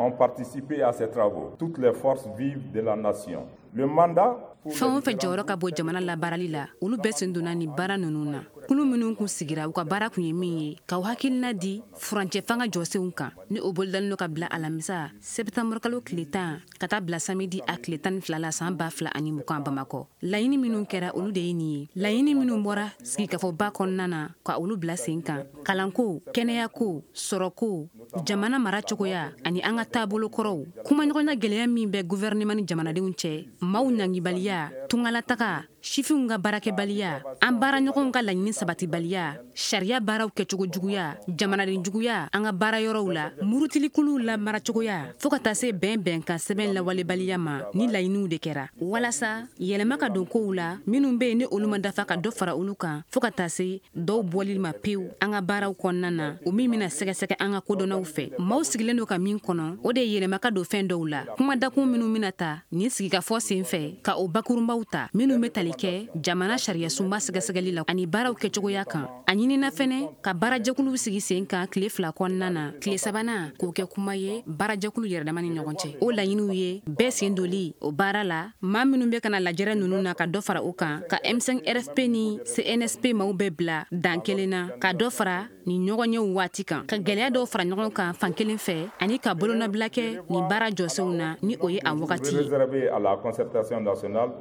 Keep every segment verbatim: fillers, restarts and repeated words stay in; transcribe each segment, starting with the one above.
Ont participé à ces travaux, toutes les forces vives de la nation. Le mandat Fɛn o fɛn jɔyɔrɔ ka bɔ jamana labaarali la, olu bɛɛ sen donna nin baara ninnu na. Kulu minnu kun sigira, u ka baara kun ye min ye k'aw hakilina di furancɛ fanga jɔsenw kan, ni o bolodalen don ka bila alamisa sɛtanburukalo tile tan ka taa bila samedi a tile tan ni fila la san ba fila ani mugan Bamakɔ, laɲini minnu kɛra, olu de ye nin ye. Laɲini minnu bɔra sigikafɔba kɔnɔna na ka olu bila sen kan: kalanko, kɛnɛyako, sɔrɔko, jamana mara cogoya ani an ka taabolo kɔrɔw, kumaɲɔgɔnya gwɛlɛya min bɛ guvɛrɛnɛman ni jamanadenw cɛ, maaw ɲangibaliya, tungalataga, sifinw ka baarakɛbaliya, an baaraɲɔgɔnw ka laɲini sabatibaliya, sariya baaraw kɛcogo juguya, jamanaden juguya an ka baara yɔrɔw la, murutilikuluw la maracogoya, fɔɔ ka taa se bɛn bɛnkan sɛbɛn lawalebaliya ma. Ni laɲiniw de kɛra walasa yɛlɛma ka don kow la minnu be yen ni olu ma dafa, ka dɔ fara olu kan, fɔɔ ka taa se dɔw bɔli ma pewu an ka baaraw kɔnɔna na, o min bena sɛgɛsɛgɛ an ka kodɔnnaw fɛ. Maaw sigilen don ka min kɔnɔ, o de ye yɛlɛma ka don fɛn dɔw la. Kuma dakun minnu bena ta nin sigikafɔ sen fɛ, ka o bakurunbaw ta minnu be tali kɛ jamana sariyasunba sɛgɛsɛgɛli la ani baaraw kɛcogoya kan. A ɲinina fɛnɛ ka baarajɛkuluw sigi sen kan tile fila kɔnɔna na, tile sabanan k'o kɛ kuma ye baarajɛkulu yɛrɛdama ni ɲɔgɔn cɛ. O laɲiniw ye bɛɛ sen doli o baara la, maa minnu bɛ kana lajɛrɛ ninnu na, ka dɔ fara o kan, ka M cinq R F P ni C N S P maaw bɛɛ bila dan kelen na, ka dɔ fara nin ɲɔgɔnyew waati kan, ka gwɛlɛya dɔw fara ɲɔgɔn kan fan kelen fɛ, ani ka bolonɔbila kɛ nin baara jɔsenw na ni o ye a wagati ye. Réservé à la concertation nationale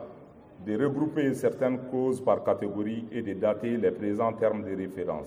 de regrouper certaines causes par catégorie et de dater les présents termes de référence.